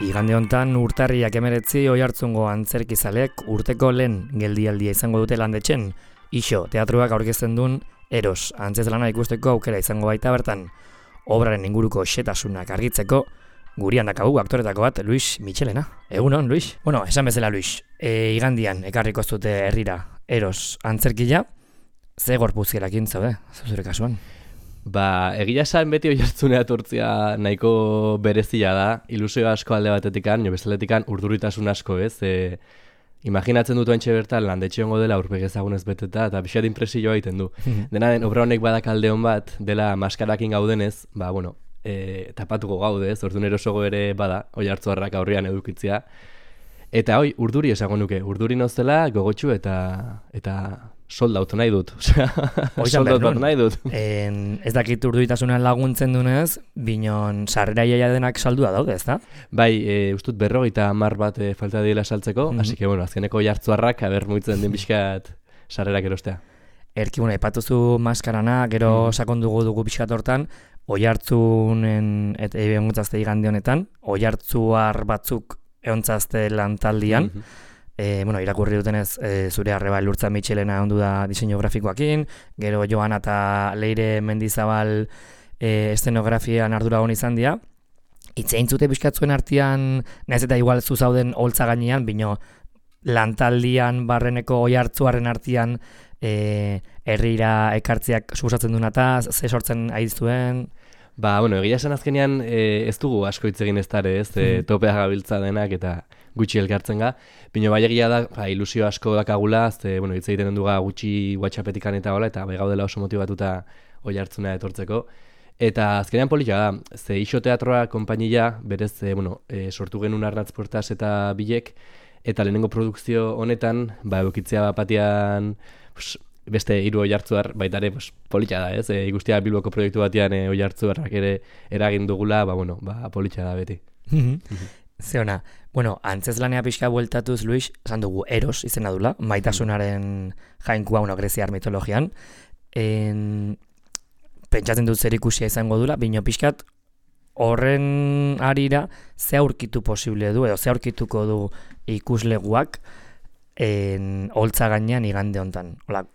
Igande hontan urtarriak 19 Oiartzungo antzerkizalek urteko lehen geldialdia izango dute landetxen. Ixo, teatruak aurkezten duen Eros, antzezlana ikusteko aukera izango baita bertan. Obraren inguruko xetasunak argitzeko, gurian dakagu aktoretako bat, Luis Michelena. Egunon, Luis? Bueno, esan bezala, Luis. Igandian ekarriko zute herrira Eros antzerkia, ze gorpuzkerakin zaude, zure kasuan? Egia esan beti Oiartzunea etortzea nahiko berezia da, ilusio asko alde batetikan, jo bestaletikan urduritasun asko, ez? Imaginatzen dut oentxe bertan landetxe hongo dela aurpegi ezagunez beteta, eta pixat impresioa egiten du. Dena den, obra honek badak alde hon bat, dela maskarakin gaudenez, tapatuko gaude, ez? Orduan erosogo ere bada, Oiartzuarrak aurrean edukitzea. Eta urduri esango nuke, urduri nozela, gogotxu eta soldautu nahi dut. Soldautu nahi dut. Ez dakit urduritasunan laguntzen dunez, binon sarrera iaia denak saldua daude, ez da? Bai, ustut 50 bat falta diela saltzeko, hasi que, azkeneko Oiartzuarrak muitzen den bizkat sarrerak erostea. Erki, aipatuzu maskarana, gero sakondugu dugu bizkat hortan, Oiartzunen eta egontzazte igande honetan, Oiartzuar batzuk egontzazte lantaldian, irakurri dutenez zure arreba Lurtza Michelena ondu da diseinu grafikoakin, gero Joana eta Leire Mendizabal estenografian ardura hon izan dira. Itzein zute bizkatzuen artean, nahiz eta igual zuzauden holtza gainean, bino lantaldian barreneko Oiartzuarren artean herrira ekartziak suposatzen duen eta ze sortzen aiztuen? Egia esan azkenean ez dugu asko hitz egin ez dara, ez? Topea gabiltza denak eta gutxi elkartzen ga. Bino bai egia da, ilusio asko dakagula, hitz egiten duga gutxi WhatsAppetikan eta hola, eta bai gaudela oso motibatuta Oiartzunea etortzeko. Eta azkenean polita da, ze Ixo Teatroa konpainia, berez, sortu genuen Arnatz Portas eta Bilek, eta lehenengo produkzio honetan, eukitzea batian, beste 3 Oiartzuar, baita ere, polita da, ez? Ikustia Bilboko proiektu batean Oiartzuarrak ere eragin dugula, polita da beti. Ze ona, antzezlanea pixka bueltatuz, Luis, esan dugu Eros izena dula, maitasunaren jainkua greziar mitologian. Pentsatzen dut zer ikusia izango dula, bino pixkat horren arira ze aurkitu posible du, edo ze aurkituko du ikusleguak holtza gainean igande hontan. Hola,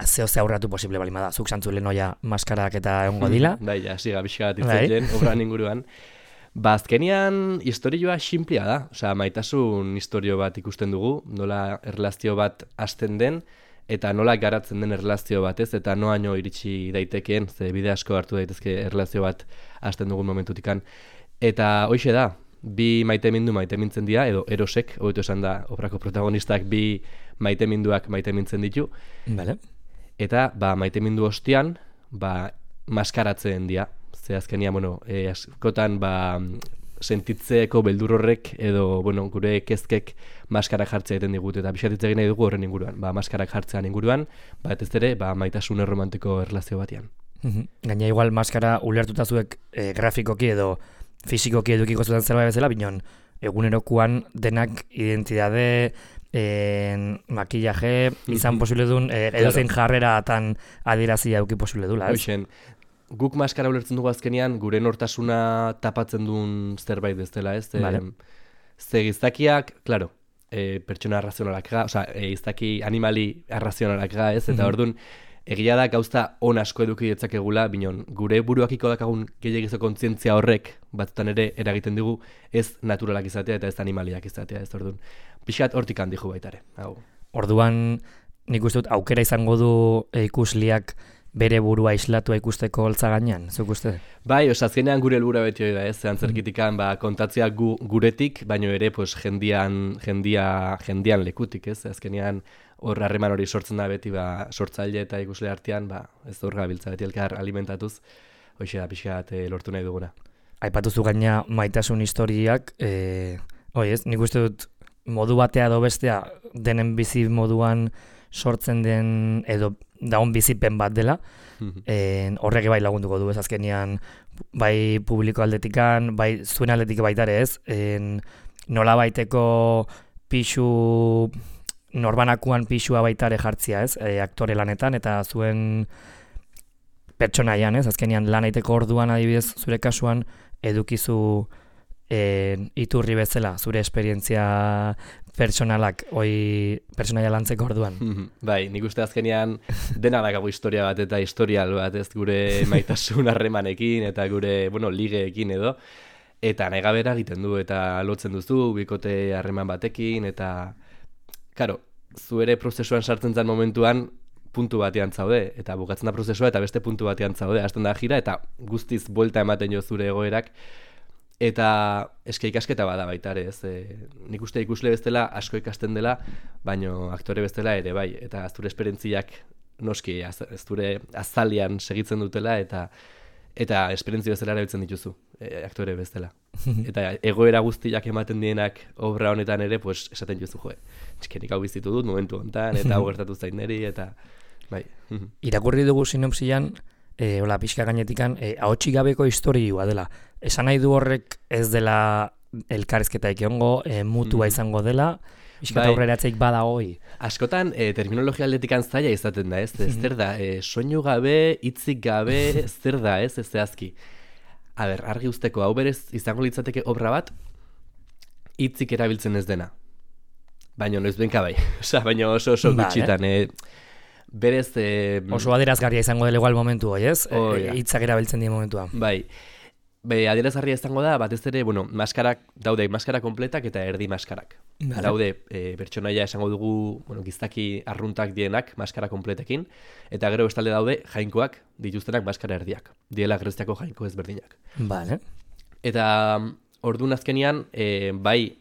zeo ze aurratu posible balima da, zuk santzu lehenoia maskarak eta egongo dila. Siga pixkat itzatzen, obran inguruan. Azkenean historioa xinplia da, maitasun historio bat ikusten dugu, nola erlazio bat hasten den, eta nola garatzen den erlazio batez, eta noaino iritsi daitekeen, ze bide asko hartu daitezke erlazio bat hasten dugun momentutikan. Eta hoxe da, bi maitemintzen dira, edo Erosek, hobeto esan da, obrako protagonistak bi maiteminduak maitemintzen ditu. Vale. Eta maitemindu ostean, maskaratzen dira. Ze azkenia, askotan sentitzeko beldur horrek edo gure kezkek maskarak jartzea egiten digut eta pixatitza egin nahi dugu horren inguruan. Maskarak jartzean inguruan, ez ere, maitasun erromantiko erlazio batean. Gaina igual maskara ulertuta zuek grafikoki edo fisikoki edukiko zuten zerbait bezala, binon egunerokoan denak identidade, makillaje, izan posible duen, edozein jarrera atan adierazia eduki posible dula, ez? Guk maskara ulertzen dugu azkenean, gure nortasuna tapatzen duen zerbait bezala, ez? Ze giztakiak, klaro, pertsona arrazionalak ga, giztaki animali arrazionalak ga, ez? Eta orduan, egia da gauza on asko eduki ditzakegula, binon, gure buruakiko dakagun gehiagizo kontzientzia horrek, batzutan ere eragiten dugu, ez naturalak izatea eta ez animaliak izatea, ez orduan. Pixkat hortik handiku baitare. Orduan, nik uste dut, aukera izango du ikusliak bere burua islatua ikusteko holtza gainean, zuk uste? Bai, azkenean gure helburua beti hori da, ez? Antzerkitikan kontatzea guretik, baino ere jendian lekutik, ez? Azkenean hor harreman hori sortzen da beti, sortzaile eta ikusle artean, ez hor gabiltza beti elkar alimentatuz, hoxe da pixkat lortu nahi duguna. Aipatuzu gaina maitasun historiak, nik uste dut modu batea edo bestea denen bizi moduan sortzen den, edo daun bizipen bat dela, horrek bai lagunduko du ez azkenean, bai publiko aldetikan, bai zuen aldetik baita ere ez, nola baiteko pixu, norbanakuan pixua baita ere jartzia ez, aktore lanetan, eta zuen pertsonaian ez, azkenean lan aiteko orduan adibidez zure kasuan edukizu iturri bezala, zure esperientzia pertsonalak, pertsonaia lantzeko orduan. Bai, nik uste azkenean dena dakago historia bat eta historial bat, ez gure maitasun harremanekin eta gure, ligeekin edo, eta nahi gabera egiten du eta lotzen duzu, bikote harreman batekin, eta, karo, zu ere prozesuan sartzen zen momentuan, puntu batean zaude, eta bukatzen da prozesua eta beste puntu batean zaude, hasten da jira, eta guztiz buelta ematen jo zure egoerak, eta eske ikasketa bada baita ere, ez? Nik uste ikusle bestela asko ikasten dela, baino aktore bestela ere bai, eta zure esperientziak noski zure azalian segitzen dutela, eta esperientzia bezala erabiltzen dituzu, aktore bestela. Eta egoera guztiak ematen dienak obra honetan ere, pues esaten duzu, txikenik hau bizitu dut momentu honetan, eta hau gertatu zain neri, eta bai. Irakurri dugu sinopsian, hola, pixka gainetikan, ahotsik gabeko historioa dela. Esan nahi du horrek ez dela elkarrizketaik egongo, mutua izango dela, pixka aurreratzeik bada hoi. Askotan, terminologia aldetikan zaila izaten da, ez? Zer da, soinu gabe, hitzik gabe, zer da, ez zehazki. A ber, argi usteko, hau berez izango litzateke obra bat, hitzik erabiltzen ez dena. Baina noiz benka bai, baina oso gutxitan, berez... oso adierazgarria izango dela igual momentu hoi, ez? Hitzak erabiltzen dien momentua. Bai, adierazgarria izango da, batez ere, maskarak, daude maskara kompletak eta erdi maskarak. Daude, pertsonaia esango dugu, giztaki arruntak dienak maskara kompletekin, eta gero bestalde daude jainkoak dituztenak maskara erdiak. Diela Greziako jainko ezberdinak. Vale. Eta orduan azkenian, bai,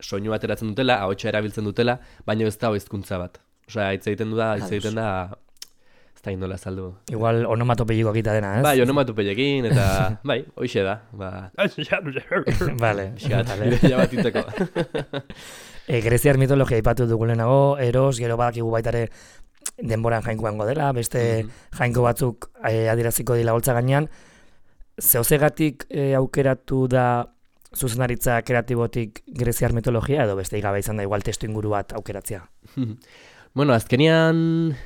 soinu ateratzen dutela, ahotsa erabiltzen dutela, baina ez da hizkuntza bat. Osea, hitz egiten da, ez da indola saldu. Igual onomatopeieko akita dena, ez? Bai, onomatopeiekin, eta bai, hoxe da. Vale. Ja bat itzeko. Greziar mitologia aipatu dugu lehenago, Eros, gero badakigu baitare denboran jainkoango dela, beste jainko batzuk adieraziko dila holtza gainean. Zehozegatik aukeratu da zuzenaritza kreatibotik greziar mitologia, edo beste gabe izan da igual testu inguru bat aukeratzea? Bueno, azkenian...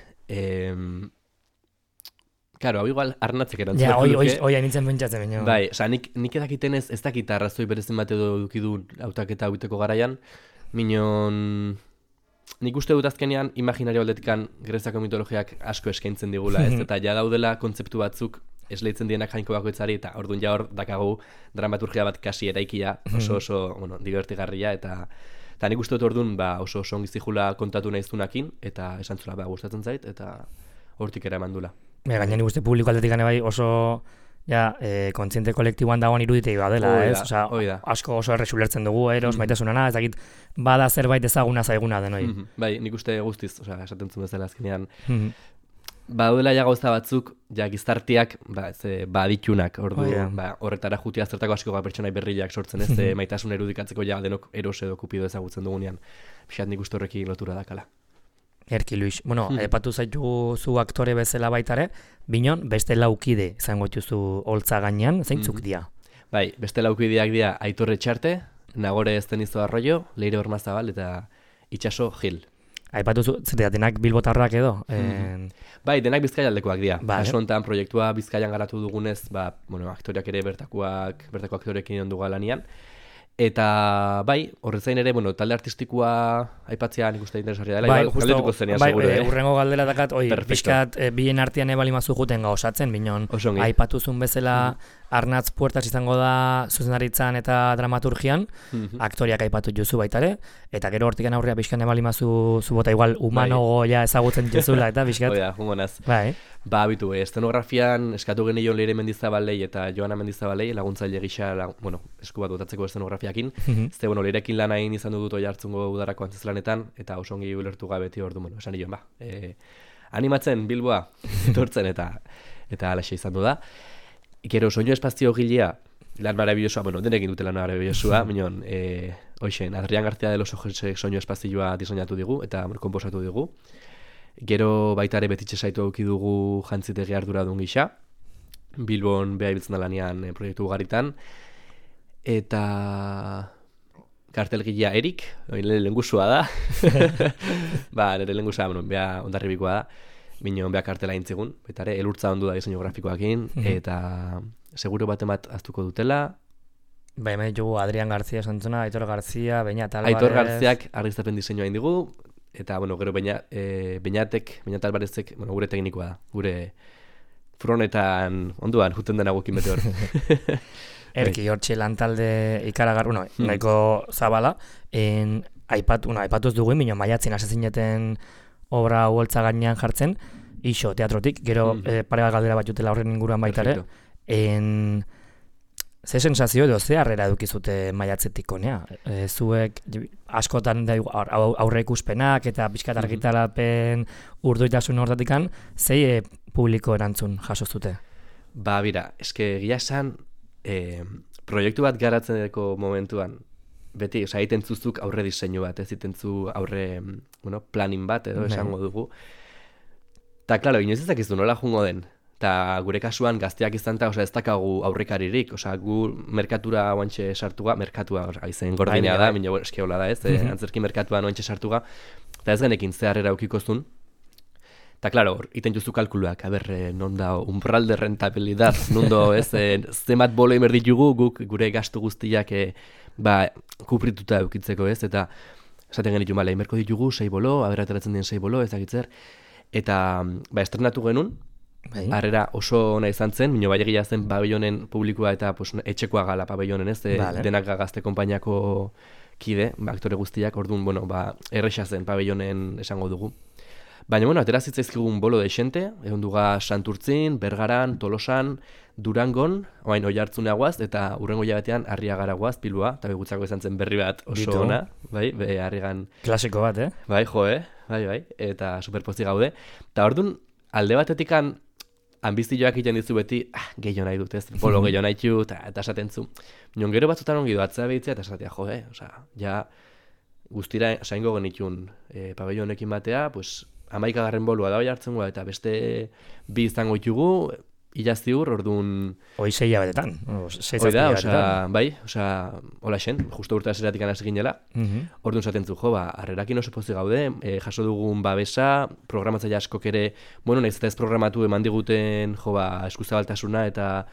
Claro, hau igual arnatzek erantzun. Ja, hoi hainitzen pentsatzen baino. Bai, oza, nik edakiten ez dakit arrazoi berezin bat edo dukidu hautaketa hauiteko garaian, minon... Nik uste dut azkenean imaginario aldetikan Greziako mitologiak asko eskaintzen digula, ez? Eta ja daudela kontzeptu batzuk esleitzen dienak jainko bakoitzari, eta orduan ja hor dakagu dramaturgia bat kasi eraikia, oso divertigarria, eta nik uste dut orduan oso ongi zihula kontatu nahizunakin, eta esan zula gustatzen zait, eta hortik ere emandula. Gaina nik uste publiko aldetik bai oso kontziente kolektiboan dagoen iruditei badela, ez? Osa, asko oso erresulertzen dugu, Eros, maitasunana, ez dakit bada zerbait ezaguna zaiguna denoi. Bai, nik uste guztiz, esaten zuen bezala azkenean. Badela ja gauza batzuk, ja gizarteak baditunak, horretara jutia zertako asko pertsonai berriak sortzen, ez maitasun erudikatzeko ja denok Eros edo Kupido ezagutzen dugunean. Pixat nik uste horrekin lotura dakala. Erki, Luis. Bueno, epatu zaitu zu aktore bezala baitare, binon, beste laukide izango dituzu holtza gainean, zeintzuk dira? Bai, beste laukideak dira Aitor Etxarte, Nagore Estenizo Arroyo, Leire Ormazabal eta Itxaso Gil. Aipatu zu, denak bilbotarrak edo? Bai, denak Bizkaialdekoak dira. Aso honetan proiektua Bizkaian garatu dugunez, aktoreak ere bertako aktorekin onduga lanian. Eta bai, horrezain ere, talde artistikoa aipatzea nik uste interesgarria dela. Bai, justo, urrengo galdera dakat, pixkat bien artean ebalimazu juten osatzen, binon, aipatuzun bezala Arnatz Puertas izango da zuzendaritzan eta dramaturgian, aktoriak aipatu juzu baitare, eta gero hortikan aurrea pixkan ebalimazu zubota igual humanogo ja ezagutzen juzula, eta pixkat. Oida, humonaz. Bai. Bitu, estenografian eskatu genion Leire Mendizabalei eta Joana Mendizabalei laguntzaile gisa, esku bat botatzeko estenografiakin. Ze, Leirekin lan hain izan dut oi hartzungo udarako antzezlanetan, eta oso ongi ulertu gabeti ordu, esan nion, animatzen Bilboa, etortzen eta alaxe izan du da. Gero, soinu espazio gilea, lan marabilosua, denekin dute lan marabilosua, minon, Adrián García de los Ojos soinu espazioa diseinatu digu, eta komposatu digu. Gero baita ere betitxe saitu auki dugu jantzitegi arduradun gisa, Bilbon beha ibiltzen da lanean proiektu ugaritan, eta kartelgilea Erik, nire lehengusua da, nire lehengusua, beha ondarribikoa da, minon beha kartela intzigun, baita ere, elurtza ondu da diseinu grafikoakin, eta seguro bat aztuko dutela. Hemen ditugu Adrian Garzia esantzuna, Aitor Garzia, Beñat Alvarez... Aitor Garziak argiztapen diseinua indigu, eta, gero Beñat Alvarezek, gure teknikoa da, gure fronetan onduan, juten dena gukin bete hor. Erki, hortxe lantalde ikaragar, nahiko zabala, aipatuz dugu, minio maiatzen asezineten obra hueltza gainean jartzen, iso teatrotik, gero pare bat galdera bat jutela horren inguruan baitare, ze sensazio edo ze harrera edukizute maiatzetik honea? Zuek askotan aurre ikuspenak eta pixkat argitarapen urduitasun horretikan, zei publiko erantzun jaso zute? Bira, eske gila esan, proiektu bat garatzeko momentuan, beti, egiten zuzuk aurre diseinu bat, ez egiten aurre planin bat, edo esango dugu. Ta, klaro, inoiz ezakizu nola jungo den. Eta gure kasuan gazteak izan eta ez dakagu aurrekaririk, gu merkatura oantxe sartuga, merkatua izen gordinea da, minio eski hola da ez, antzerki merkatuan oantxe sartuga, eta ez genekin zeharrera eukikozun. Eta, klaro, iten juzu kalkuluak, non da umbral de rentabilidad, nundo ez, zemat bolo imerditugu guk gure gastu guztiak kuprituta eukitzeko ez, eta esaten genitu male, imerko ditugu 6 bolo, ateratzen den 6 bolo, ezagitzer, eta estrenatu genuen, harrera oso ona izan zen, minio bailegia zen pabellonen publikoa eta etxekoa gala pabellonen ez, denak gazte konpainiako kide, aktore guztiak, orduan, erresa zen pabellonen esango dugu. Baina, aterazitzaizkigun bolo deixente, egon duga Santurtzin, Bergaran, Tolosan, Durangon, oain Oiartzune guaz, eta urrengo jabetean Arriagara guaz, Pilua, eta begutzako izan zen berri bat oso ona, Arriagan... Klasiko bat, Bai, eta superpozi gaude. Eta orduan, alde batetikan ambizioak egiten dizu beti, gehiago nahi dut, ez, bolo gehiago nahi dut, eta esaten zu. Minon gero batzutan ongi doatzea behitzea, eta esatea, ja guztira saingo genitun pabellonekin batea, 11. bolua da hoi hartzen gua, eta beste bi izango ditugu, ilaziur, orduan... Hoi 6 jabetetan, 6 jabetetan. Hola xen, justo urte azeratik anaz ginela, orduan zaten zu, harrerakin oso pozik gaude, jaso dugun babesa, programatzaile askok ere, nahiz eta ez programatu eman diguten, eskuzabaltasuna, eta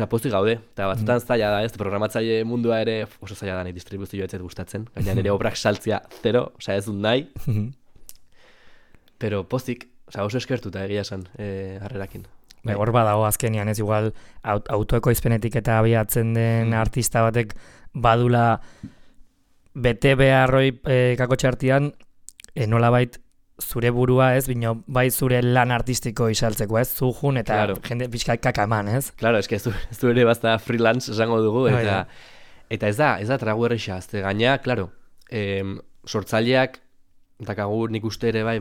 pozik gaude, eta batzutan zaila da, ez, programatzaile mundua ere oso zaila da nahi distribuzioa ez gustatzen, gaina nire obrak saltzia 0, ez dut nahi, pero pozik, oso eskertuta egia esan harrerakin. Hor badago azkenian, ez igual autoekoizpenetik eta abiatzen den artista batek badula bete beharroi kakotxartian nolabait zure burua ez, bino bai zure lan artistiko isaltzeko ez, zujun eta jende pixka kakaman ez? Claro, eske ez ere bazta freelance esango dugu, eta ez da tragu erreixa, azte gaina, claro, sortzaileak, dakagu nik uste ere bai,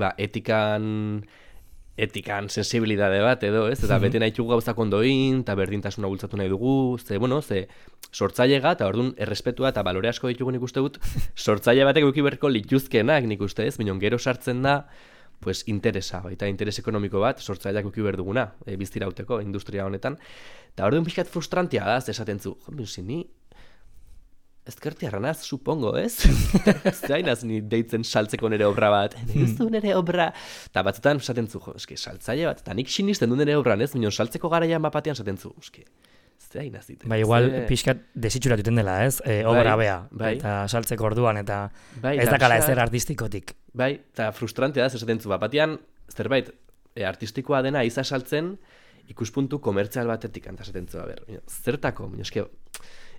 etikan sensibilidade bat edo, ez? Eta bete nahi txugu gauzak ondoin, eta berdintasuna bultzatu nahi dugu, ze sortzailega, eta orduan errespetua eta balore asko ditugu nik uste dut, sortzaile batek euki berko lituzkenak nik uste, ez? Minon gero sartzen da, interesa, eta interes ekonomiko bat, sortzaileak euki berduguna, biztirauteko, industria honetan. Eta orduan pixkat frustrantia da, esaten zu, zini, ezkerti arranaz, supongo, ez? Zainaz ni deitzen saltzeko nire obra bat. Ez du nire obra. Eta batzutan esaten zu, saltzaile bat. Eta nik sinisten du nire obran, ez? Minon saltzeko garaian bapatean esaten zu. Zainaz ite. Igual pixkat desitxurat duten dela, ez? Obra bea. Eta saltzeko orduan, eta ez dakala ezer artistikotik. Eta frustrantea da, esaten zu bapatean, zerbait artistikoa dena iza saltzen, ikuspuntu komertzial batetik, eta esaten zu, zertako,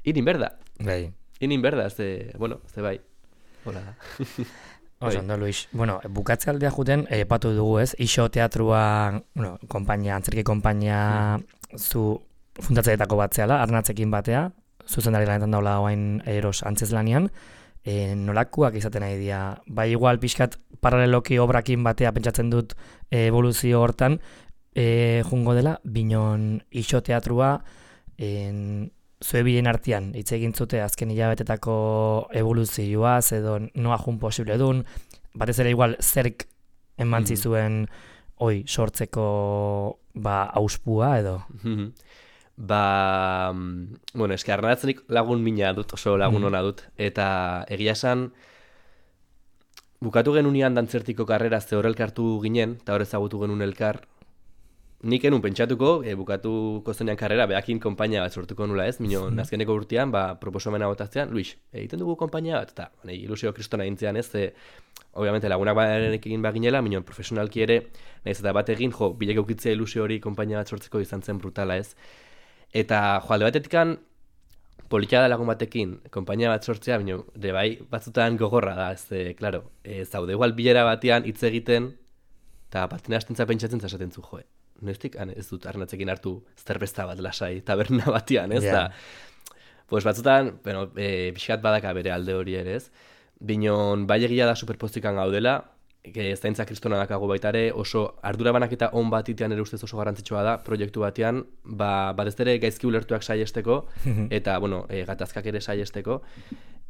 irin berda. Inin berda, ze bai. Hola da. Ondo, Luis. Bukatze aldea juten, epatu dugu ez, iso teatrua, antzerki konpainia zu fundatzeetako batzeala, arnatzekin batea, zuzendari lanetan daula oain eros antzez lanian, nolakoak izaten nahi dira. Bai igual pixkat paraleloki obrakin batea pentsatzen dut evoluzio hortan, jungo dela, binon iso teatrua, zue bilen artean, hitz egin zute azken hilabetetako evoluzioaz edo noa jun posible dun, batez ere igual zerk emantzi zuen sortzeko auspua edo? Bueno, eske Arnatzenik lagun mina dut, oso lagun ona dut, eta egia esan, bukatu genunean dantzertiko karrera ze hor elkartu ginen, eta hor ezagutu genuen elkar, nik enun pentsatuko, bukatuko zenean karrera, behakin konpainia bat sortuko nula ez, minon azkeneko urtean, proposomena botaztean, Luis, egiten dugu konpainia bat, eta ilusio kristona egintzean ez, obviamente lagunak egin baginela, minon profesionalki ere, nahiz eta bat egin, bilek eukitzea ilusio hori konpainia bat sortzeko izan zen brutala ez. Eta alde batetikan, politia da lagun batekin, konpainia bat sortzea, bino, bai, batzutan gogorra da, klaro, zaude igual bilera batean hitz egiten, eta batina hastentza pentsatzen zasaten zu, noiztik, ez dut Arnatzekin hartu zerbesta bat lasai, taberna batean, ez da. Pues batzutan, pixkat badaka bere alde hori ere, ez. Binon, bai egia da superpostikan gaudela, zaintza kristona dakago baita ere, oso ardura banaketa on bat itean ere ustez oso garrantzitsua da, proiektu batean, batez ere gaizki ulertuak saiesteko, eta, gatazkak ere saiesteko,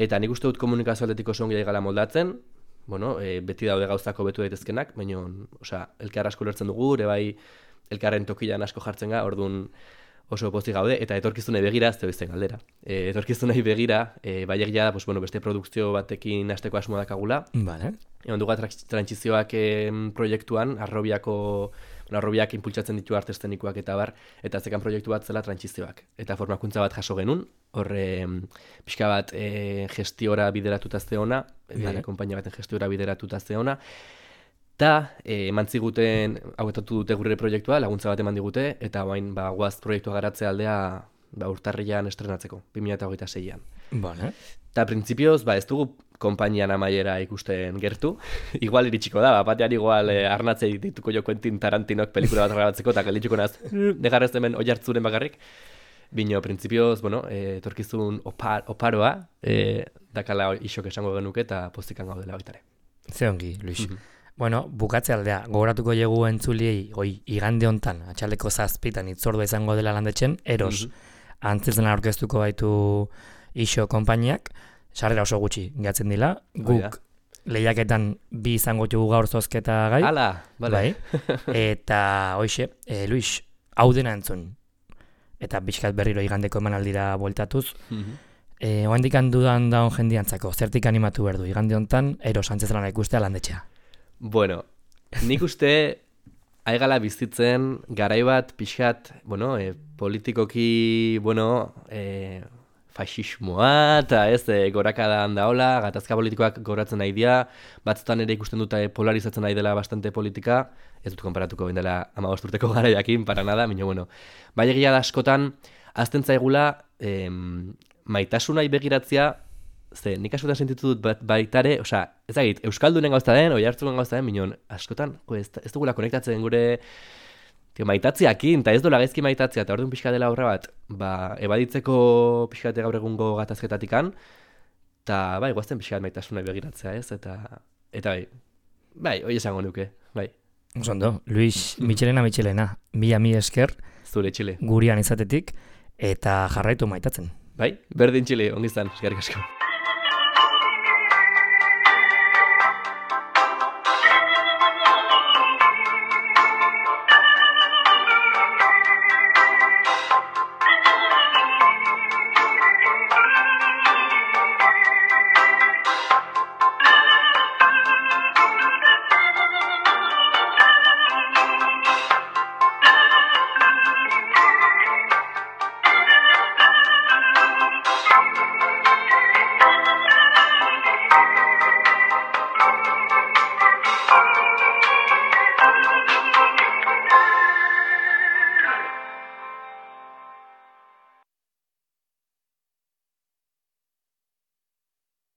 eta nik uste dut komunikazio aldetik oso ongi gala moldatzen, beti daude gauzako betu daitezkenak, baina, elkar asko ulertzen dugu, ere bai, elkarren tokilan asko jartzen ga, orduan oso pozik gaude, eta etorkizunei begira, ez izten galdera. Etorkizunei begira, bai egia da, beste produkzio batekin hasteko asmoa dakagula. Vale. Egon dugu trantsizioak proiektuan, Arrobiak impultsatzen ditu arte estenikoak eta bar, eta zekan proiektu bat zela trantsizioak. Eta formakuntza bat jaso genuen, horre pixka bat gestiora bideratuta zeona, konpainia baten gestiora bideratuta zeona, eta eman ziguten, hauetatu dute gure proiektua, laguntza bat eman digute, eta bain guaz proiektua garatze aldea urtarrian estrenatzeko, 2026an. Vale. Eta printzipioz, ez dugu konpainian amaiera ikusten gertu. Igual iritsiko da, batean igual Arnatzei dituko jo Quentin Tarantinok pelikula bat grabatzeko, eta gelditzuko naz, negarrez hemen oiartzuren bakarrik. Bino, printzipioz, etorkizun oparoa, dakala isok esango genuke, eta postikan gaudela baitare. Ze ongi, Luis. Bukatze aldea, gogoratuko jegu entzuliei, igande hontan, atxaldeko 7:00 itzordua izango dela landetxen, eros, antzetzen aurkeztuko baitu iso konpainiak, sarrera oso gutxi gehatzen dila, guk lehiaketan 2 izango dugu gaur zozketa gai. Hala, bale. Eta, Luis, hau dena entzun, eta bizkat berriro igandeko emanaldira bueltatuz, oendik handudan daun jendiantzako, zertik animatu behar du, igande hontan, eros antzetzen ikustea landetxea. Bueno, nik uste aigala bizitzen garai bat pixkat, politikoki, faxismoa, eta gorakadan daola, gatazka politikoak goratzen nahi dira, batzutan ere ikusten dut polarizatzen nahi dela bastante politika, ez dut konparatuko bindela 15 urteko garaiakin, para nada, bai egia da askotan, azten zaigula, maitasunai begiratzea, nik askotan sentitu dut baitare, ezagit, Euskaldunen gauza den, oihartzunen gauza den, minon, askotan, ez dugula konektatzen gure maitatziakin, eta ez dola gaizki maitatzea, eta orduan pixka dela horra bat, ebaditzeko pixka gaur egungo gatazketatikan, eta guazten pixka maitasunai begiratzea, ez, eta hoi esango nuke, bai. Osondo, Luis, Michelena, mila esker, zure Txile, gurian izatetik, eta jarraitu maitatzen. Bai, berdin Txile, ongizan, eskerrik asko.